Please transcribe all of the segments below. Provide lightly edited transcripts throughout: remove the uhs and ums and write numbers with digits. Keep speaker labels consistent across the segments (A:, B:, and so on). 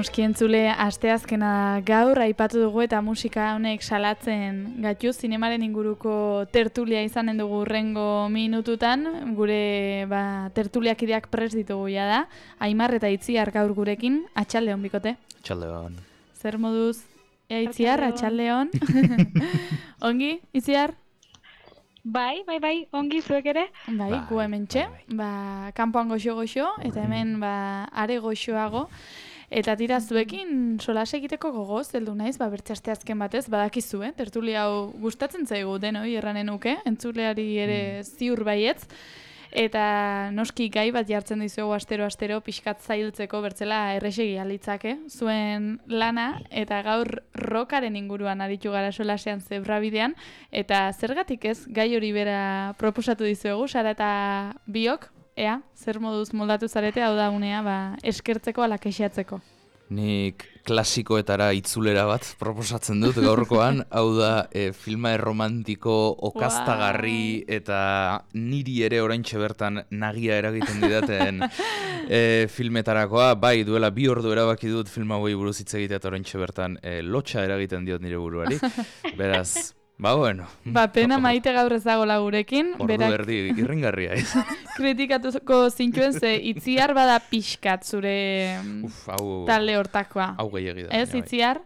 A: noski entzule, asteazkena gaur aipatu dugu eta musika honek salatzen gaitu zinemaren inguruko tertulia izanen dugu hurrengo minututan, gure tertuliakideak prest ditugu da, Aimar eta Itziar gaur gurekin, atxaldeon bikote.
B: Atxaldeon.
A: Zer moduz, Itziar, atxaldeon. Ongi, Itziar?
C: Bai, ongi zuek ere?
A: Bai, gu hemen txe, kanpoan goxo-goxo, eta hemen are goxoago. Eta tira zuekin solas egiteko gogoz, heldu naiz, bertxe azken batez, badakizu, tertulia hau gustatzen zaigu denoi erranen nuke, entzuleari ere ziur baietz. Eta noski gai bat jartzen dizuegu astero pixkat zailtzeko bertzela errexegi alitzake, zuen lana, eta gaur rockaren inguruan aritu gara solasean zebrabidean, eta zergatik ez gai hori bera proposatu dizuegu, Sara eta biok, ea, zer moduz moldatu zarete, hau da unea, eskertzeko ala kexatzeko.
B: Nik klasikoetara itzulera bat proposatzen dut gaurkoan, hau da filma erromantiko okastagarri eta niri ere oraintxe bertan nagia eragiten didaten filmetarakoa, bai duela 2 ordu erabaki dut film hauei buruz hitz egitea eta oraintxe bertan lotxa eragiten diot nire buruari, beraz... bueno.
A: Pena maite gaur ezagola gurekin.
B: Ordu erdi irringarria ez.
A: Kritikatuko zintuen ze Itziar bada pixkat zure talde hortakoa.
B: Hau gehiagi da.
A: Ez, Itziar?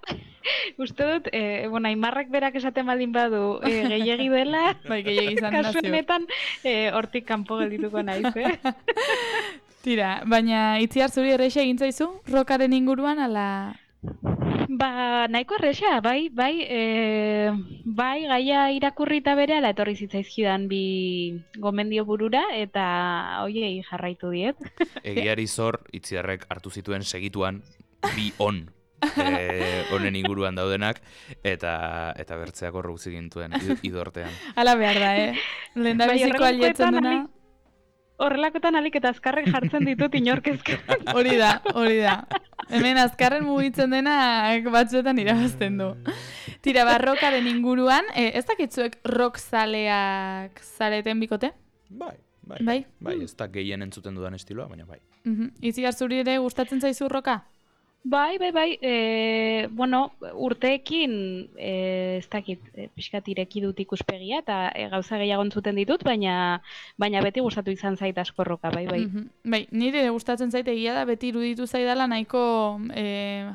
C: Uste dut, Aimarrak berak esaten baldin badu gehiagi dela.
A: Bai, gehiagi izan nazio.
C: Kasuenetan hortik kanpo geldituko naiz,
A: Tira, baina Itziar zuri erreixa egin zaizu? Rockaren inguruan, ala...
C: Nahiko erresa, bai, gaia irakurrita berehala etorri zitzaizkidan bi gomendio burura eta hoiei jarraitu diet.
B: Egiari zor, Itziarrek hartu zituen segituan bi honen inguruan daudenak eta bertzeak horruk zigintuen idortean.
A: Hala behar da, lehen da biziko alietzen duna.
C: Horrelakotan alik eta azkarrek jartzen ditut inorkezken.
A: Hori da. Hemen azkarren mugitzen dena batzuetan irabazten du. Tira, rockaren inguruan, ez dakitzuek rock zaleak zareten bikote?
B: Bai, ez da gehien entzuten dudan estiloa, baina bai.
A: Itziar zuri ere gustatzen zaizu rocka?
C: Bai, urteekin ez dakit pixkat ireki dut ikuspegia eta gauza gehiago entzuten ditut, baina beti gustatu izan zait asko roka, bai.
A: Bai, nire gustatzen zait egia da, beti iruditu zaidala nahiko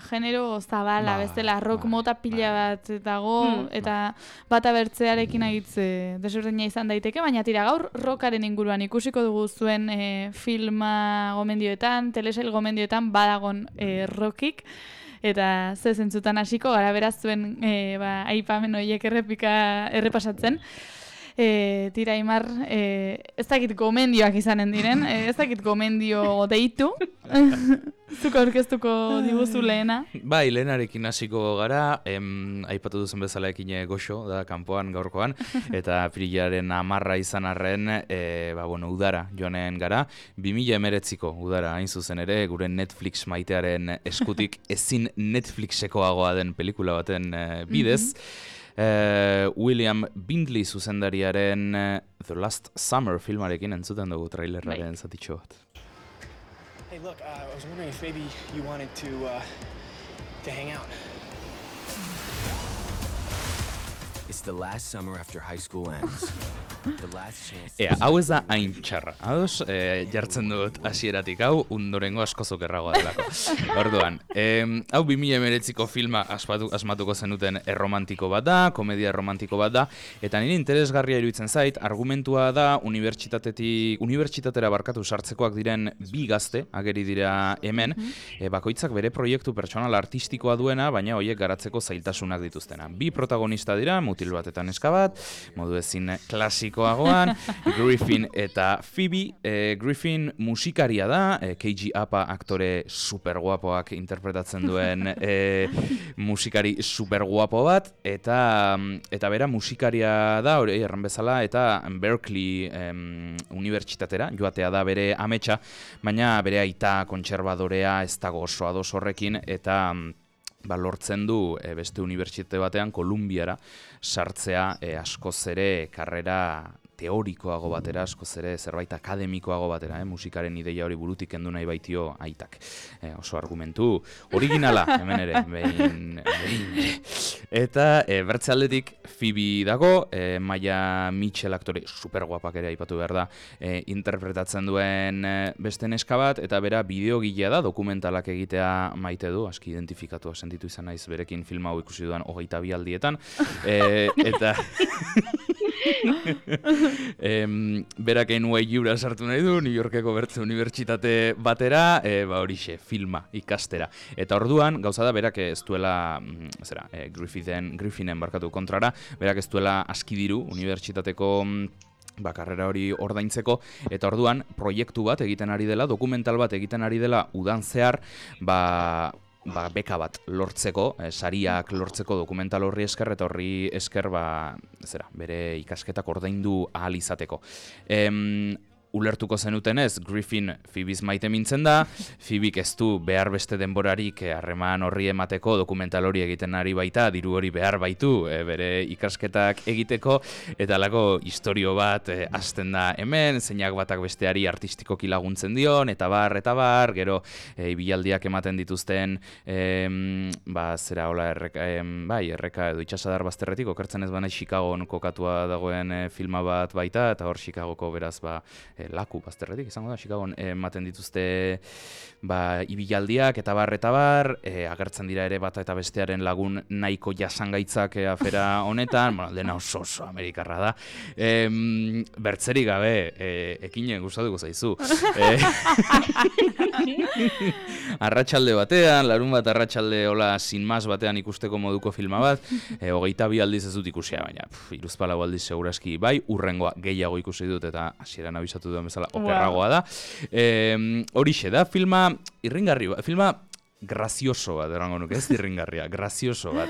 A: genero zabala, bestela rock mota pila bat dago, eta bata bertzearekin agitze desberdina izan daiteke, baina tira gaur rockaren inguruan ikusiko dugu zuen filma gomendioetan, telesail gomendioetan badagon rockik, eta ze zentzutan hasiko gara beraz zuen aipamen horiek errepasatzen. Tira, Aimar, ez dakit gomendioak izanen diren, ez dakit gomendio deitu, zuko aurkeztuko diguzu lehena.
B: Bai, lehenarekin hasiko gara, aipatu duzen bezala ekin goxo, da, kanpoan gaurkoan, eta apirilaren 10 izan arren, udara joanen gara, 2019ko udara hain zuzen ere, gure Netflix maitearen eskutik ezin Netflixekoagoa den pelikula baten bidez, William Bindley zuzendariaren The Last Summer filmarekin entzuten dugu trailerraren zatitxo bat.
D: Hey, look, I was wondering if maybe you wanted to hang out.
E: It's the last summer after high school ends.
B: Hau ez da hain txarra. Ados, jartzen dut hasieratik hau, ondorengo asko zokerragoa delako. Orduan, hau 2019ko filma asmatuko zenuten erromantiko bat da, komedia erromantiko bat da, eta nire interesgarria iruditzen zait, argumentua da unibertsitatera barkatu sartzekoak diren bi gazte, ageri dira hemen, bakoitzak bere proiektu pertsonal artistikoa duena, baina horiek garatzeko zailtasunak dituztena. Bi protagonista dira, mutil bat eta neska bat, modu ezin klasikoagoan, Griffin eta Phoebe. Griffin musikaria da, KG Apa aktore superguapoak interpretatzen duen musikari superguapo bat, eta bera musikaria da, hori erran bezala, eta Berkeley unibertsitatera joatea da bere ametsa, baina bere aita kontserbadorea ez dago oso ados horrekin, eta lortzen du beste unibertsitate batean, Kolumbiara, sartzea askoz ere karrera teorikoago batera, askoz ere zerbait akademikoago batera, musikaren ideia hori burutik kendu nahi baitio aitak. Oso argumentu originala, hemen ere, behin Eta bertze aldetik Phoebe dago, Maia Mitchell aktore superguapak ere aipatu behar da, interpretatzen duen beste neska bat, eta bera bideogilea da, dokumentalak egitea maite du, aski identifikatua sentitu izan naiz berekin filma hau ikusi duan 22 aldietan, eta berak NYU-ra sartu nahi du, New Yorkeko bertze unibertsitate batera, horixe, filma ikastera. Eta orduan, gauza da, berak ez duela, Griffinen barkatu kontrara, berak ez duela aski diru unibertsitateko karrera hori ordaintzeko, eta orduan proiektu bat egiten ari dela, dokumental bat egiten ari dela udan zehar, beka bat lortzeko, sariak lortzeko dokumental horri esker, eta horri esker bere ikasketak ordaindu ahal izateko. Ulertuko zenutenez, Griffin Phoebe's maite mintzen da, Phoebek ez du behar beste denborarik harreman horri emateko, dokumental hori egiten ari baita, diru hori behar baitu bere ikasketak egiteko, eta alako istorio bat hasten da hemen, zeinak batak besteari artistikoki laguntzen dion, eta bar, gero ibilaldiak ematen dituzten, erreka edo itxasadar bazterretik, okertzen ez bana Chicagon kokatua dagoen filma bat baita, eta hor Chicagoko beraz laku bazterretik izango da, Chicagon ematen dituzte ibilaldiak eta bar, agertzen dira ere bata eta bestearen lagun nahiko jasangaitzak afera honetan, dena oso amerikarra da. Bertzerik gabe, ekinen gustatuko zaizu. Arratsalde batean, larun bat arratsalde hola sin más batean ikusteko moduko filma bat, 22 aldiz ez dut ikusia, baina 3-4 aldiz seguraski bai, urrengoa gehiago ikusi dut eta hasieran abisatu duen bezala okerragoa da. Horixe da, filma irringarri bat, filma grazioso bat, erango nuke, ez irringarria, grazioso bat.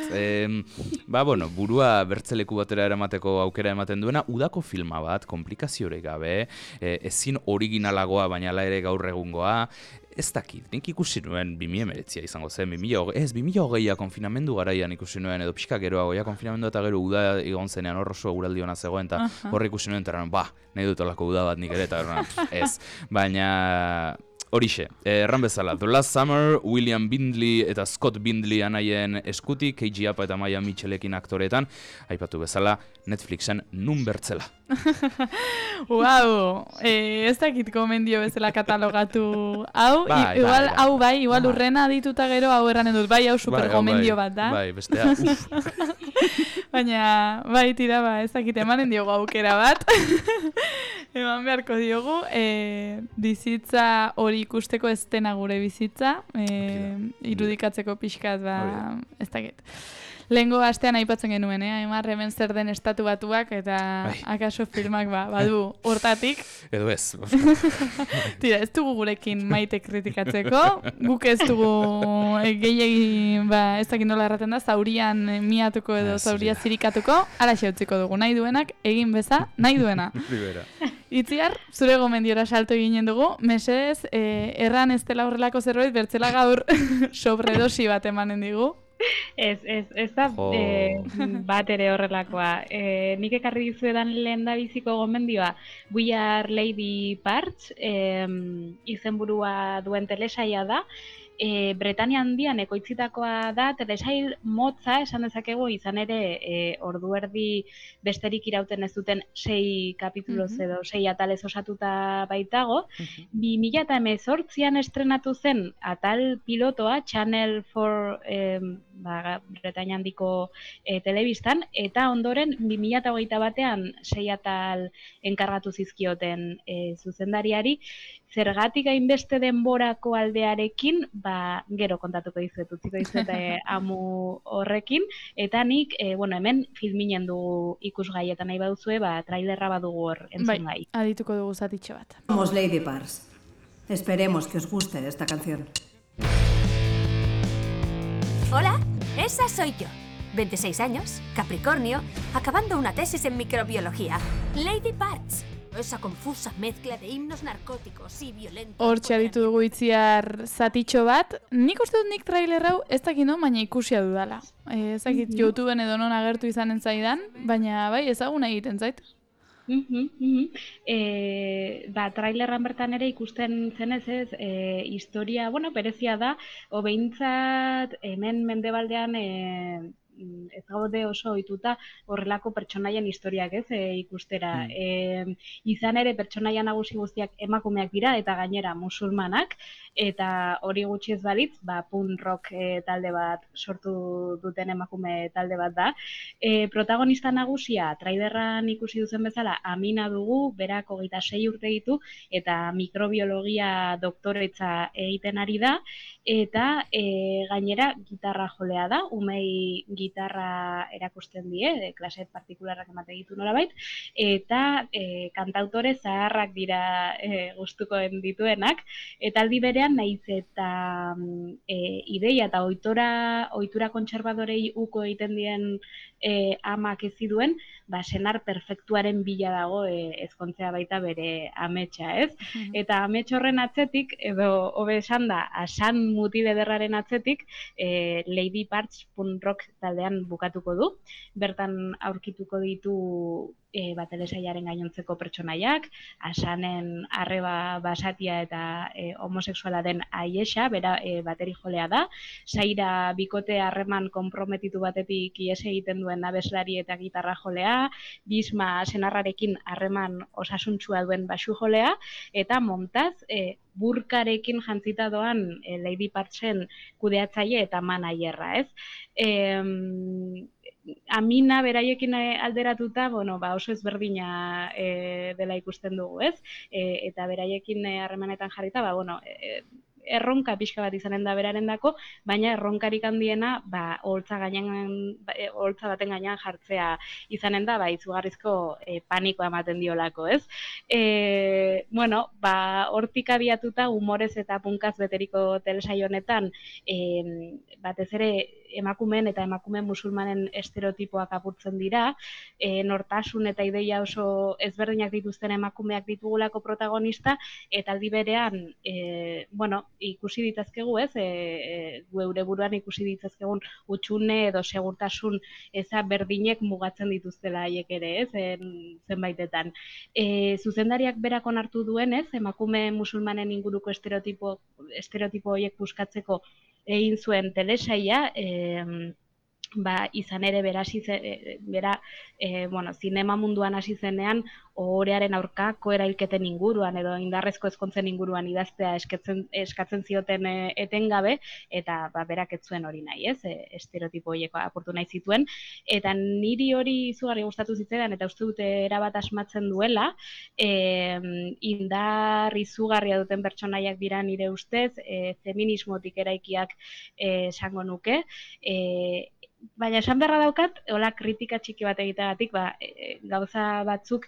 B: Burua bertzeleku batera eramateko aukera ematen duena, udako filma bat, komplikaziorik gabe, ezin originalagoa, baina ala ere gaur egungoa, ez dakit, nik ikusi nuen 2019 izango zen, 2020a konfinamendu garaian ikusi nuen, edo pixka geroago, konfinamendu eta gero uda egon zenean hor oso eguraldi hona zegoen, eta horre ikusi nuen, eta nahi dut olako uda bat nik ere, eta ez, baina horixe, erran bezala, The Last Summer, William Bindley eta Scott Bindley anaien eskutik, Keiji Apa eta Maia Mitchellekin aktoretan, aipatu bezala, Netflixen nun bertzela.
A: Wow, ez dakit gomendio bezala katalogatu hau, igual urrena dituta gero hau erranen dut, hau super gomendio bat da.
B: Bestea,
A: Baina, tira, ez dakit emanen diogu aukera bat. Eman beharko diogu, bizitza hori ikusteko ez dena gure bizitza, irudikatzeko pixkat, ez dakit. Lehengo astean aipatzen genuen, Aimar hemen zer den Estatu Batuak eta akaso filmak badu hortatik.
B: Edo ez.
A: Tira, ez dugu gurekin maite kritikatzeko, guk ez dugu gehiegi, ez dakit nola erraten da, zaurian miatuko edo zauria zirikatuko, alaxe utziko dugu, nahi duenak, egin beza, nahi duena. Itziar, zure gomendiora salto eginen dugu, mesedez, erran ez dela horrelako zerbait, bertzela gaur sobredosi bat emanen digu.
C: Ez da bat ere horrelakoa. Nik ekarri dizuedan lehen da biziko gomendioa We Are Lady Parts izenburua duen telesaia da. Bretania handian ekoitzitakoa da, telesail motza esan dezakegu, izan ere ordu erdi besterik irauten ez duten 6 kapituloz edo 6 atalez osatuta baitago. 2018an estrenatu zen atal pilotoa Channel 4 Bretania handiko telebistan, eta ondoren 2021 batean 6 atal enkargatu zizkioten zuzendariari. Zergatik hainbeste denborako aldearekin, gero kontatuko dizuet, utziko dizuet amu horrekin, eta nik, hemen filminen dugu ikusgai, eta nahi baduzue, trailerra badugu hor entzun gai.
A: Adituko dugu zatitxo bat.
F: Somos Lady Parts. Esperemos que os guste esta canción.
G: Hola, esa soy yo. 26 años, Capricornio, acabando una tesis en microbiología. Lady Parts. Esa confusa mezcla de himnos narcóticos y violentos.
A: Hortxe aditu dugu Itziar zatitxo bat. Nik uste dut nik trailer hau ez dakit no, baina ikusia dudala. Ez dakit YouTubeen edo non agertu izanen zaidan, baina ezaguna egiten zait.
C: Trailerran bertan ere ikusten zenez ez, historia, berezia da, behintzat hemen mendebaldean ez gaude oso ohituta horrelako pertsonaien historiak ez ikustera. Izan ere pertsonaia nagusi guztiak emakumeak dira eta gainera musulmanak, eta hori gutxi ez balitz, punk rock talde bat sortu duten emakume talde bat da. Protagonista nagusia, trailerran ikusi duzen bezala, Amina dugu, berak 26 urte ditu, eta mikrobiologia doktoretza egiten ari da, eta gainera gitarra jolea da, umei gitarra erakusten die, klase partikularrak emate ditu nolabait, eta kantautore zaharrak dira gustukoen dituenak, eta aldi berean naiz eta ideia eta ohitura kontserbadorei uko egiten dien amak ez ziduen, senar perfektuaren bila dago ezkontzea baita bere ametsa, ez? Eta amets horren atzetik, edo hobe esan da, asan mutil ederraren atzetik, Lady Parts punk rock taldean bukatuko du. Bertan aurkituko ditu telesailaren gainontzeko pertsonaiak, asanen arreba basatia eta homosexuala den Aiesa, bera bateri jolea da, Saira bikote harreman konprometitu batetik ihes egiten duen abeslari eta gitarra jolea, Bisma senarrarekin harreman osasuntsua duen basu jolea, eta Montaz burkarekin jantzita doan Lady Partsen kudeatzaile eta manaierra, ez? Amina beraiekin alderatuta, oso ezberdina dela ikusten dugu, ez? Eta beraiekin harremanetan jarrita, erronka pixka bat izanen da berarendako, baina erronkarik handiena oholtza baten gainean jartzea izanen da, izugarrizko panikoa ematen diolako, ez? Hortik abiatuta humorez eta punkaz beteriko telesaio honetan, batez ere emakumeen eta emakume musulmanen estereotipoak apurtzen dira, nortasun eta ideia oso ezberdinak dituzten emakumeak ditugulako protagonista, eta aldi berean, ikusi ditazkegu, ez? Geure buruan ikusi ditzazkegun hutsune edo segurtasun eza berdinek mugatzen dituztela haiek ere, ez? Zenbaitetan. Zuzendariak berak onartu duenez, emakume musulmanen inguruko estereotipo horiek buskatzeko egin zuen telesaila, izan ere bera zinema munduan hasi zenean ohorearen aurkako erailketen inguruan edo indarrezko ezkontzen inguruan idaztea eskatzen zioten etengabe, eta berak ez zuen hori nahi, ez? Estereotipo horiek apurtu nahi zituen, eta niri hori izugarri gustatu zitzaidan eta uste dute erabat asmatzen duela, indar izugarria duten pertsonaiak dira nire ustez, feminismotik eraikiak esango nuke, baina esan beharra daukat, hola kritika txiki bat egiteagatik, gauza batzuk,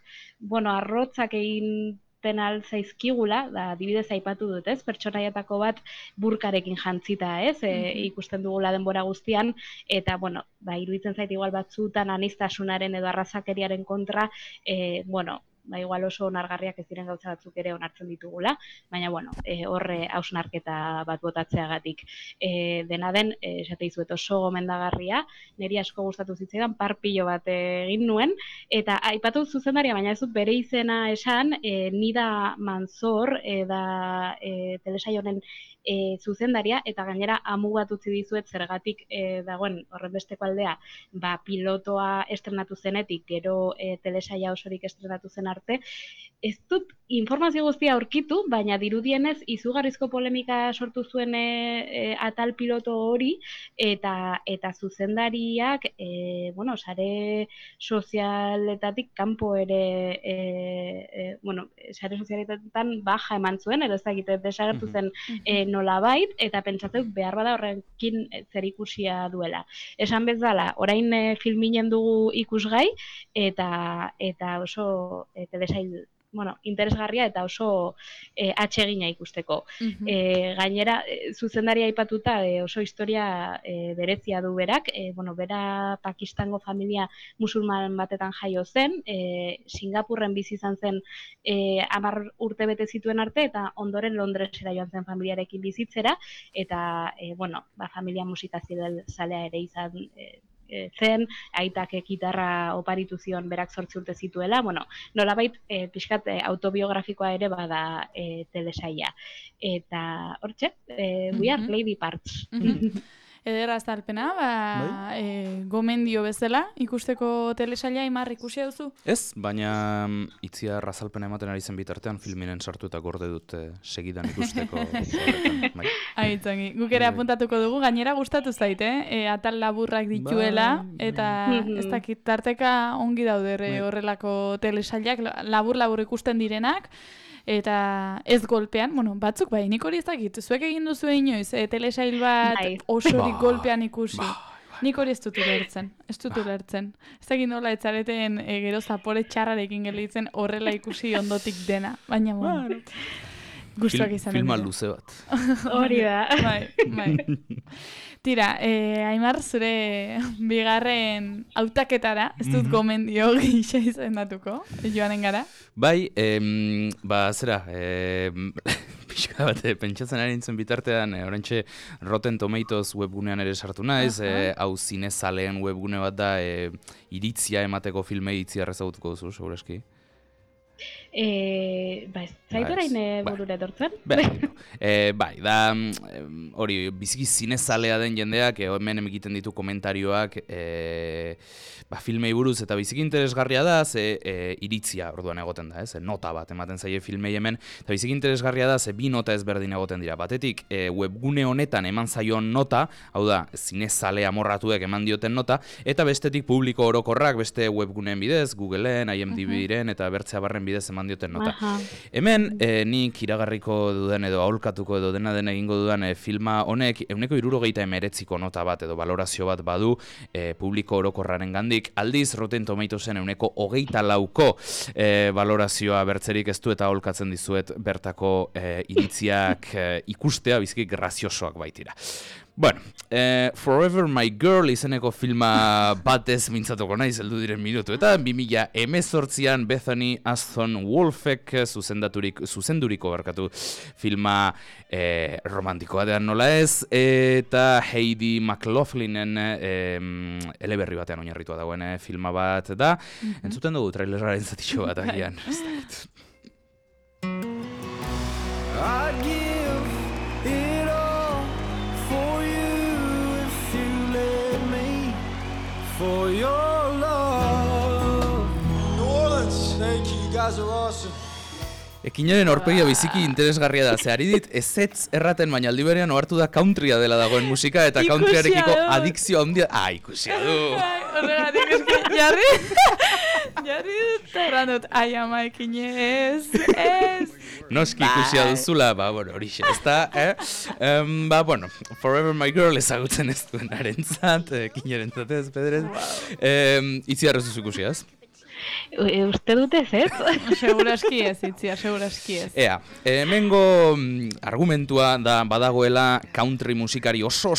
C: arrotzak egiten zaizkigula, adibidez aipatu dut, ez? Pertsonaiatako bat burkarekin jantzita, ez? Ikusten dugula denbora guztian, eta, iruditzen zait igual batzutan aniztasunaren edo arrazakeriaren kontra, igual oso onargarriak ez diren gauza batzuk ere onartzen ditugula, baina, horre hausnarketa bat botatzeagatik. Dena den, esate izuet oso gomendagarria, niri asko gustatu zitzaidan, parpilo bat egin nuen, eta aipatu zuzendaria, baina ez dut bere izena esan, Nida Manzor, da telesaio honen zuzendaria, eta gainera amugat utzi dizuet zergatik dagoen horrenbesteko aldea, pilotoa estrenatu zenetik, gero telesaia osorik estrenatu zen arte, ez dut informazio guztia aurkitu, baina dirudienez izugarrizko polemika sortu zuen atal piloto hori, eta zuzendariak, sare sozialetatik kanpo ere, sare sozialetetan baja eman zuen, edo ez dakit desagertu zen nolabait, eta pentsatzen behar bada horrekin zerikusia duela. Esan bezala, orain filminen dugu ikusgai, eta oso telesail interesgarria eta oso atsegina ikusteko. Gainera, zuzendaria aipatuta oso historia berezia du berak, bera Pakistango familia musulman batetan jaio zen, Singapurren bizi izan zen 10 urte bete zituen arte, eta ondoren Londresera joan zen familiarekin bizitzera, eta familia musikazioa zalea ere izan zen, aitak gitarra oparitu zion berak 8 urte zituela, bueno, nolabait pixkat autobiografikoa ere bada telesaila. Eta hortxe, we are Lady Parts.
A: Ederra azalpena, gomendio bezala, ikusteko telesaila Aimar ikusi duzu?
B: Ez, baina Itziar azalpena ematen ari zen bitartean filminen sartu eta gorde dut segidan ikusteko.
A: Aitzangi, guk ere apuntatuko dugu, gainera gustatu zait, atal laburrak dituela, eta ez dakit tarteka ongi daude horrelako telesailak, labur ikusten direnak, eta ez golpean, batzuk bai, nik hori ez dakit, zuek egin duzu inoiz, telesail bat osorik golpean ikusi. Nik hori ez dut ulertzen. Ez dakit nola etzareten gero zapore txarrarekin gelditzen horrela ikusi ondotik dena, baina gustuak izan.
B: Filma luze bat.
C: Hori da.
A: Bai. Tira, Aimar, zure bigarren hautaketara, ez dut gomendio gisa izendatuko, joanen gara?
B: Bai, zera, pixka bat, pentsatzen ari nintzen bitartean, orantxe Rotten Tomatoes webgunean ere sartu naiz, hau zinezaleen webgune bat da, iritzia emateko filmei itzia ezagutuko duzu, segureski.
C: Zait orain burura etortzen?
B: Bai, da hori biziki zinezalea den jendeak hemen egiten ditu komentarioak filmei buruz eta biziki interesgarria da iritzia orduan egoten da, nota bat ematen zaie filmei hemen eta biziki interesgarria da bi nota ezberdin egoten dira. Batetik webgune honetan eman zaion nota, hau da zinezale amorratuek eman dioten nota, eta bestetik publiko orokorrak beste webguneen bidez, Googleen, IMDb-ren eta bertzea barren bidez eman dioten nota. Hemen, nik iragarriko duden edo aholkatuko edo dena egingo dudan filma honek 79 nota bat edo valorazio bat badu publiko orokorraren gandik. Aldiz, Rotten Tomatoesen 24 valorazioa bertzerik ez du eta aholkatzen dizuet bertako iritziak ikustea biziki graziosoak baitira. Bueno, Forever My Girl izeneko filma batez mintzatuko naiz heldu diren minutu. Eta 2018an Bethany Aston Wolfek zuzenduriko filma romantikoa dean nola ez, eta Heidi McLaughlinen eleberri batean oinarritua dagoen filma bat da. Entzuten dugu traileraren zatixo bat agian.
H: I'd give it all for you if you let me, for your love. New Orleans, thank you, you guys are awesome.
B: Ekinaren aurpegia biziki interesgarria da, ze ari dit ezetz erraten baina aldi berean ohartu da countrya dela dagoen musika eta countryarekiko adikzio handia. Ikusia du!
A: Horregatik eski, jarri dut errandut, ama ekinez, ez!
B: Noski ikusia duzula, horixe, ez da, Forever My Girl ezagutzen ez duen arentzat, ekinaren zatez, pedrez. Itziarrez ikusia, ez?
C: Uste dute ez?
A: Seguraski ez, Itzia, seguraski ez.
B: Hemengo argumentua da badagoela country musikari oso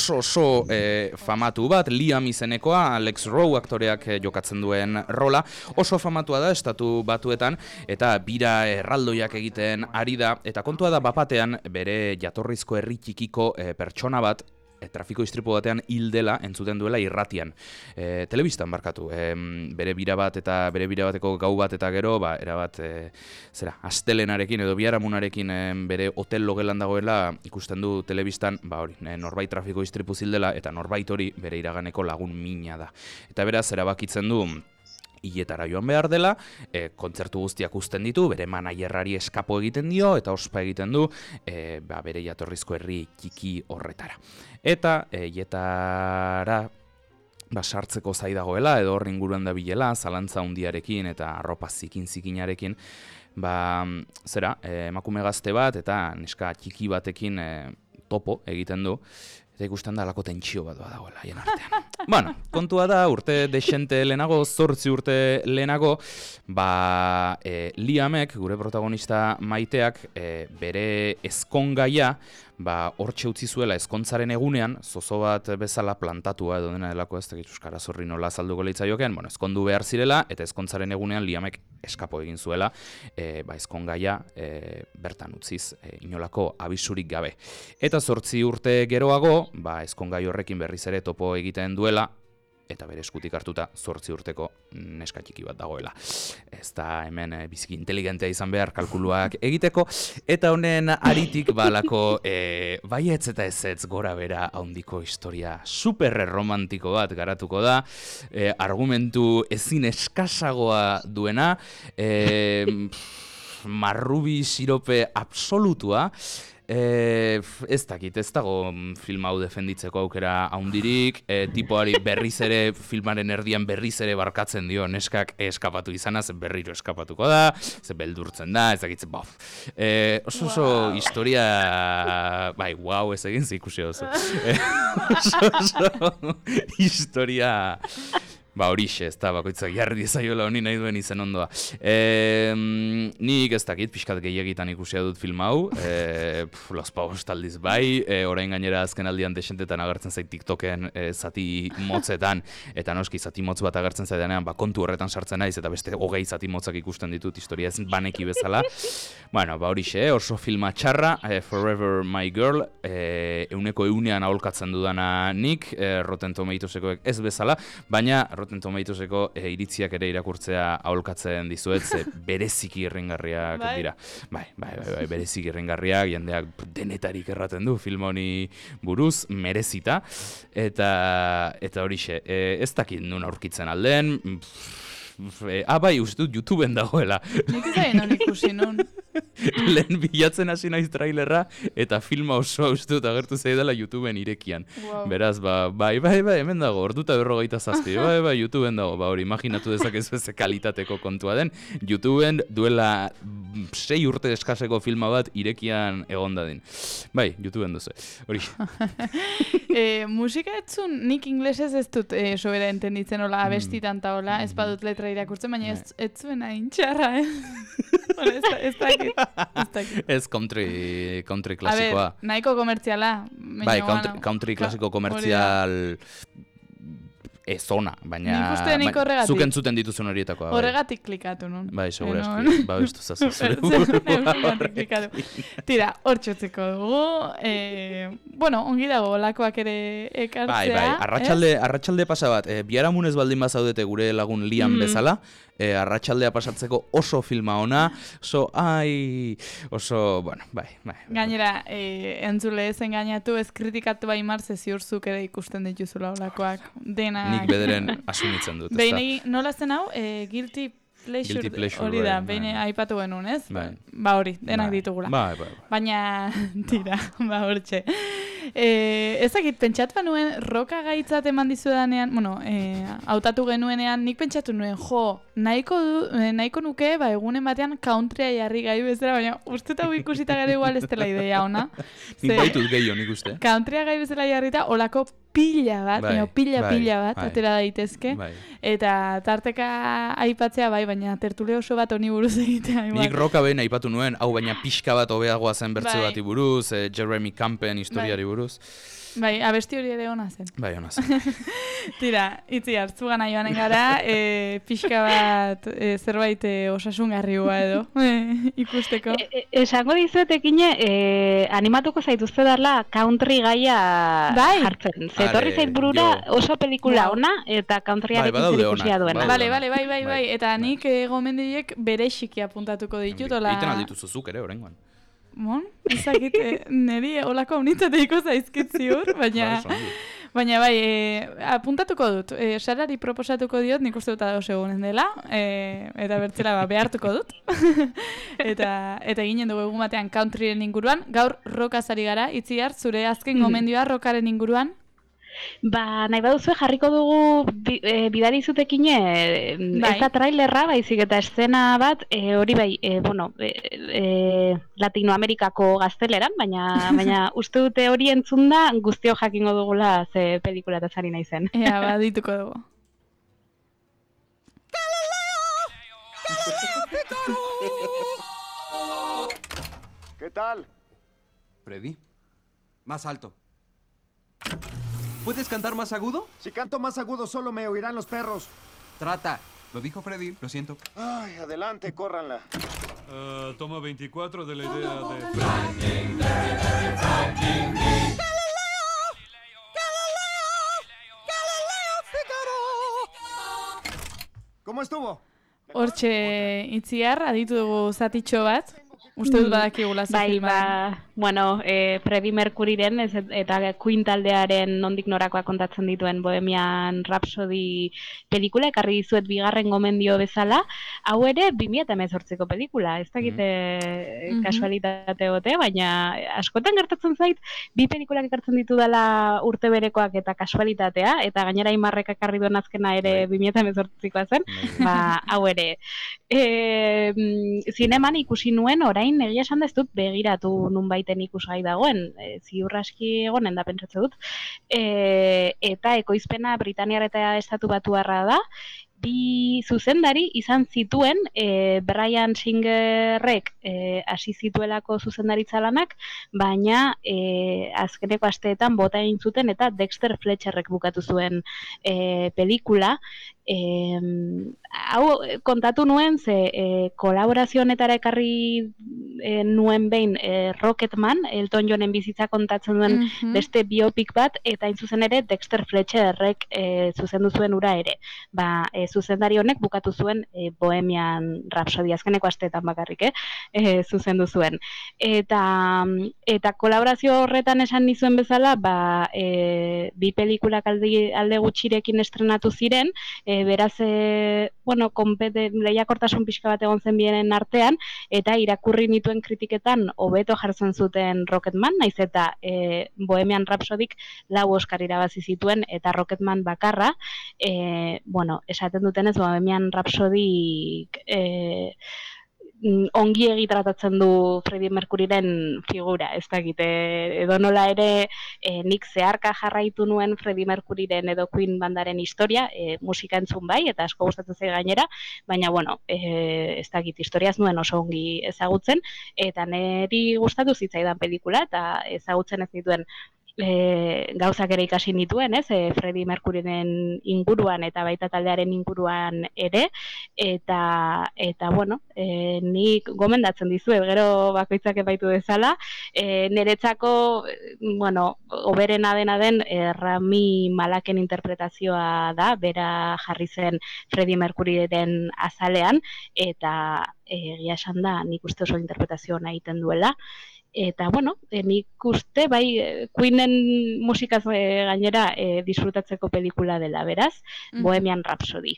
B: famatu bat, Liam izenekoa, Alex Rowe aktoreak jokatzen duen rola, oso famatua da estatu batuetan, eta bira erraldoiak egiten ari da, eta kontua da bapatean bere jatorrizko herri txikiko pertsona bat, trafiko istripu batean hil dela entzuten duela irratian. Telebistan barkatu. Bere bira bat eta bere bira bateko gau bat eta gero, erabat, astelenarekin edo biharamunarekin bere hotel logelan dagoela ikusten du telebistan, norbait trafiko istripu zildela eta norbait hori bere iraganeko lagun mina da. Eta beraz, erabakitzen du hiletara joan behar dela, kontzertu guztiak uzten ditu, bere managerrari eskapo egiten dio, eta ospa egiten du, bere jatorrizko herri txiki horretara. Eta hiletara sartzeko zai dagoela, edo horri inguruan da bilela, zalantza hundiarekin eta arropa zikinarekin, emakume gazte bat eta neska txiki batekin topo egiten du, eta ikusten da alako tentsio bat dagoela haien artean. Kontua da, urte desente lehenago, 8 urte lehenago, Liamek, gure protagonista maiteak, bere ezkongaia, hortxe utzi zuela ezkontzaren egunean, zozo bat bezala plantatua edo dena delako, ez dakit euskara zorri nola azalduko leitzaiokean, ezkondu behar zirela, eta ezkontzaren egunean Liamek eskapo egin zuela, ezkongaia bertan utziz, inolako abisurik gabe. Eta 8 urte geroago, ezkongai horrekin berriz ere topo egiten duela, eta bere eskutik hartuta 8 urteko neska txiki bat dagoela. Ez da hemen biziki inteligentea izan behar kalkuluak egiteko, eta honen aritik balako baietz eta ezetz gora bera handiko historia super romantiko bat garatuko da, argumentu ezin eskasagoa duena, marrubi sirope absolutua, ez dakit, ez dago film hau defenditzeko aukera handirik, tipoari berriz ere, filmaren erdian berriz ere barkatzen dio, neskak eskapatu izanaz, berriro eskapatuko da, ze beldurtzen da, ez dakit, oso historia, bai, wow, ez egin ikusi oso. Oso historia... horixe, ez da, bakoitzak jarri dizaiola honi nahi duen izen ondoa. Nik ez dakit, pixkat gehiagitan ikusia dut film hau, Los Pavos taldiz bai, orain gainera azken aldian desentetan agertzen zait TikToken zati motzetan, eta noski zati motz bat agertzen zaidanean, kontu horretan sartzen naiz, eta beste 20 zati motzak ikusten ditut historia ez baneki bezala. Bueno, horixe, oso filma txarra, Forever My Girl, 100% aholkatzen dudana nik, Rotten Tomatoesekoek ez bezala, baina Rotten Tomatoeseko iritziak ere irakurtzea aholkatzen dizuet, ze bereziki irringarriak dira. Bai, bereziki irringarriak, jendeak denetarik erraten du film honi buruz, merezita, eta horixe, ez dakit nun aurkitzen alden, bai, uste dut YouTubeen dagoela.
A: Nik ez non ikusi nun.
B: Lehen bilatzen hasi naiz trailerra, eta filma oso uste dut agertu zaidala YouTubeen irekian.
A: Wow.
B: Beraz, bai, hemen dago, orduta 47, bai, YouTubeen dago, hori imaginatu dezakezu ez kalitateko kontua den, YouTubeen duela 6 urte eskaseko filma bat irekian egon dadin. Bai, YouTubeen duzu, hori.
A: Musika etzun, nik inglesez ez dut sobera entenditzen hola abestitan ta hola, ez badut letra irakurtzen, baina ez zuen hain txarra, ez dakit.
B: Ez country klasikoa.
A: A ber, nahiko komertziala.
B: Bai, country klasiko komertzial ezona, baina zuk entzuten dituzun horietakoa.
A: Horregatik klikatu nun.
B: Bai, segura eski, babestu zazu zure
A: klikatu. Tira, hor txotzeko dugu. Bueno, ongi dago, olakoak ere ekartzea.
B: Bai, arratsalde pasa bat, biharamunez baldin bazaudete gure lagun Lian bezala, arratsaldea pasatzeko oso filma ona, bueno, bai.
A: Gainera, entzule ez engainatu, ez kritikatu bai marze ziurzuk ere ikusten dituzula olakoak.
B: Nik bederen asumitzen dut.
A: Behin, nola zen hau, Guilty Pleasure hori da, behin aipatu genuen, ez? Ba hori, denak ditugula.
B: Bai.
A: Baina, tira, hortxe. Ezakit, pentsatu nuen roka gaitzat eman dizudanean, bueno, hautatu genuenean, nik pentsatu nuen, nahiko nuke, egunen batean countrya jarri gai bezala, baina uste eta ikusita gara igual ez dela idea ona.
B: Nik baitut gehiago nik uste.
A: Countrya gai bezala jarrita, olako pila bat, pila bat, atera daitezke, eta tarteka aipatzea bai, baina tertule oso bat honi buruz egitea.
B: Nik roka behin aipatu nuen, hau baina pixka bat hobeagoa zen bertze bati buruz, Jeremy Campen historiari buruz.
A: Bai, abesti hori ere ona zen.
B: Bai, ona zen.
A: Tira, itzi hartzu gana joanen gara, pixka bat zerbait osasungarriua edo ikusteko.
C: Esango dizuetekine, animatuko zaituzte darla country gaia jartzen. Zetorri zait burura oso pelikula ona eta countryarekin zerikusia duena.
A: Bai. Eta nik gomendiek berexiki apuntatuko ditut.
B: Egiten aldituzu zuk ere, oraingoan.
A: Bon, ezakit, niri olako unitateiko zaizkit ziur, baina bai, apuntatuko dut, Sarari proposatuko diot, nik uste dut ados egunen dela, eta bertzela behartuko dut, eta ginen dugu egun batean countryren inguruan, gaur rockaz ari gara, Itziar, zure azken gomendioa rockaren inguruan?
C: Ba, nahi baduzue jarriko dugu bidari zutekine, ez da trailerra, baizik eta eszena bat, hori bai, Latinoamerikako gazteleran, baina uste dute hori entzunda guztio jakingo dugula ze pelikula eta zari nahi zen.
A: Ea, ba, dituko dugu.
I: ¿Qué tal?
J: Freddy, más alto. ¿Puedes cantar más agudo?
I: Si canto más agudo solo me oirán los perros.
J: Trata. Lo dijo Freddy, lo siento.
I: Ay, adelante, córranla.
K: Toma 24 de la idea de...
H: Galileo Figaro!
I: estuvo?
A: Hortxe itziar, aditu dugu zatitxo bat. Uste dut badakigula ze filma.
C: Bueno, Freddie Mercuryren eta Queen taldearen nondik norakoa kontatzen dituen Bohemian Rhapsody pelikula, ekarri dizuet bigarren gomendio bezala, hau ere 2018ko pelikula, ez dakite kasualitate gote, baina askotan gertatzen zait, bi pelikulak ekartzen ditu dela urte berekoak eta kasualitatea, eta gainera Imarrek ekarri duen azkena ere 2018koa zen, hau ere. Zineman ikusi nuen, orain egia esan ez dut begiratu nunbaiten ikusgai dagoen, ziur aski egonen da pentsatze dut, eta ekoizpena Britaniar eta Estatu Batuarra da, bi zuzendari izan zituen Bryan Singerrek hasi zituelako zuzendaritza lanak, baina azkeneko asteetan bota egin zuten eta Dexter Fletcherrek bukatu zuen pelikula. Hau kontatu nuen ze kolaborazio honetara ekarri nuen behin Rocketman, Elton Johnen bizitza kontatzen duen beste biopic bat, eta hain zuzen ere Dexter Fletcherrek zuzendu zuen ura ere. Zuzendari honek bukatu zuen Bohemian Rhapsody azkeneko asteetan bakarrik, zuzendu zuen. Eta kolaborazio horretan esan nizuen bezala, bi pelikulak alde gutxirekin estrenatu ziren, beraz, lehiakortasun pixka bat egon zen bienen artean, eta irakurri nituen kritiketan hobeto jartzen zuten Rocketman, naiz eta Bohemian Rhapsodyk 4 Oscar irabazi zituen, eta Rocketman bakarra, esaten dutenez Bohemian Rhapsodyk ongi egitratatzen du Freddie Mercuryren figura, ez dakit, edo nola ere nik zeharka jarraitu nuen Freddie Mercuryren edo Queen bandaren historia, musika entzun bai, eta asko gustatzen zait gainera, baina, ez dakit, historiaz nuen oso ongi ezagutzen, eta niri gustatu zitzaidan pelikula, eta ezagutzen ez dituen gauzak ere ikasi nituen, Freddie Mercuryren inguruan eta baita taldearen inguruan ere, eta nik gomendatzen dizuet, gero bakoitzak epaitu dezala, niretzako, hoberena dena den Rami Maleken interpretazioa da, bera jarri zen Freddie Mercuryren azalean, eta egia esan da, nik uste oso interpretazioa egiten duela. Eta, nik uste, Queenen musikaz gainera disfrutatzeko pelikula dela, beraz, Bohemian Rhapsody.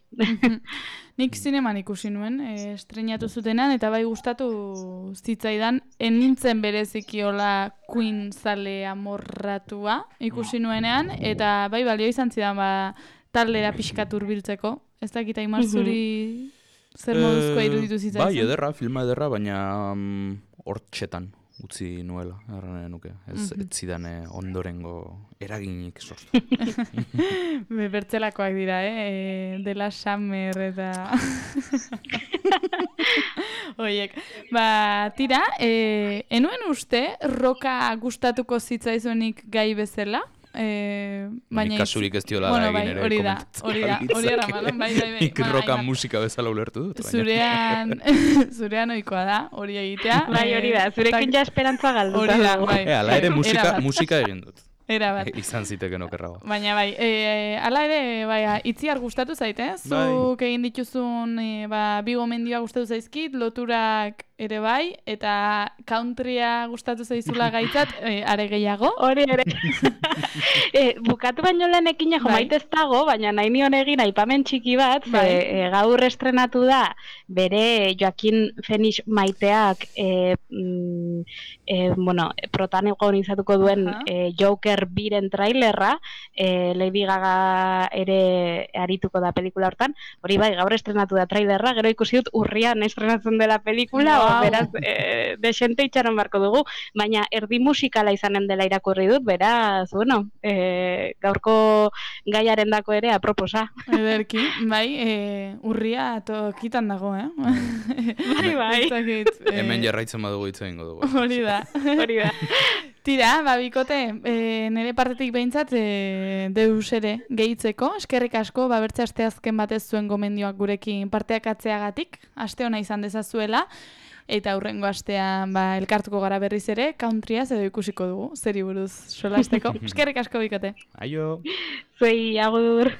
A: Nik zineman ikusi nuen, estrenatu zutenan, eta bai gustatu zitzaidan, nintzen berezikiola Queen zale amorratua ikusi nuenean, eta bai balio izan zidan taldera pixkat hurbiltzeko. Ez dakit Aimar zuri zer moduzkoa iruditu zitzaizen?
B: Bai, ederra, filma ederra, baina hortxetan utzi nuela, erran nuke. Ez zidan ondorengo eraginik sortu.
A: Bertzelakoak dira, Dela Summer eta... Oiek, tira, enuen uste roka gustatuko zitzaizuenik gai bezala?
B: Nik kasurik ez diola da egin ere komentatzen.
A: Hori erraman, bai.
B: Nik roka musika bezala ulertu dut.
A: Zurean oikoa da, hori egitea.
C: Bai, hori da, zurekin ja esperantza galdu.
A: Hori da, bai.
B: Ala ere musika egin dut.
A: Era bat.
B: Izan ziteken okerrago.
A: Baina bai, ala ere, itziar gustatu zaite, zuk egin dituzun bi gomendioa gustatu zaizkit, loturak ere bai, eta countrya gustatu zaizula gaitzat, are gehiago.
C: Hori ere. Bukatu baino lehenekin maite ez dago, baina nahi nion egin aipamen txiki bat, gaur estrenatu da, bere Joaquin Phoenix maiteak protagonizatuko duen Joker biren trailerra, Lady Gaga ere arituko da pelikula hortan, hori bai, gaur estrenatu da trailerra, gero ikusi dut urrian estrenatzen dela pelikula, beraz, desente itxaron barko dugu, baina erdi musikala izanen dela irakurri dut, beraz, gaurko gaiaren dako ere aproposa.
A: Ederki, bai, urria tokitan dago,
C: Bai.
B: Hemen jarraitzen badugu hitz egingo dugu.
A: Hori da. Tira, bikote, nire partetik behintzat deus ere gehitzeko, eskerrik asko, bertze aste azken batez zuen gomendioak gurekin parteak atzeagatik, aste ona izan dezazuela, eta aurrengo astean elkartuko gara berriz ere, countryaz edo ikusiko dugu, zeri buruz solasteko. Eskerrik asko bikote.
B: Aio!
C: Zuei, agur!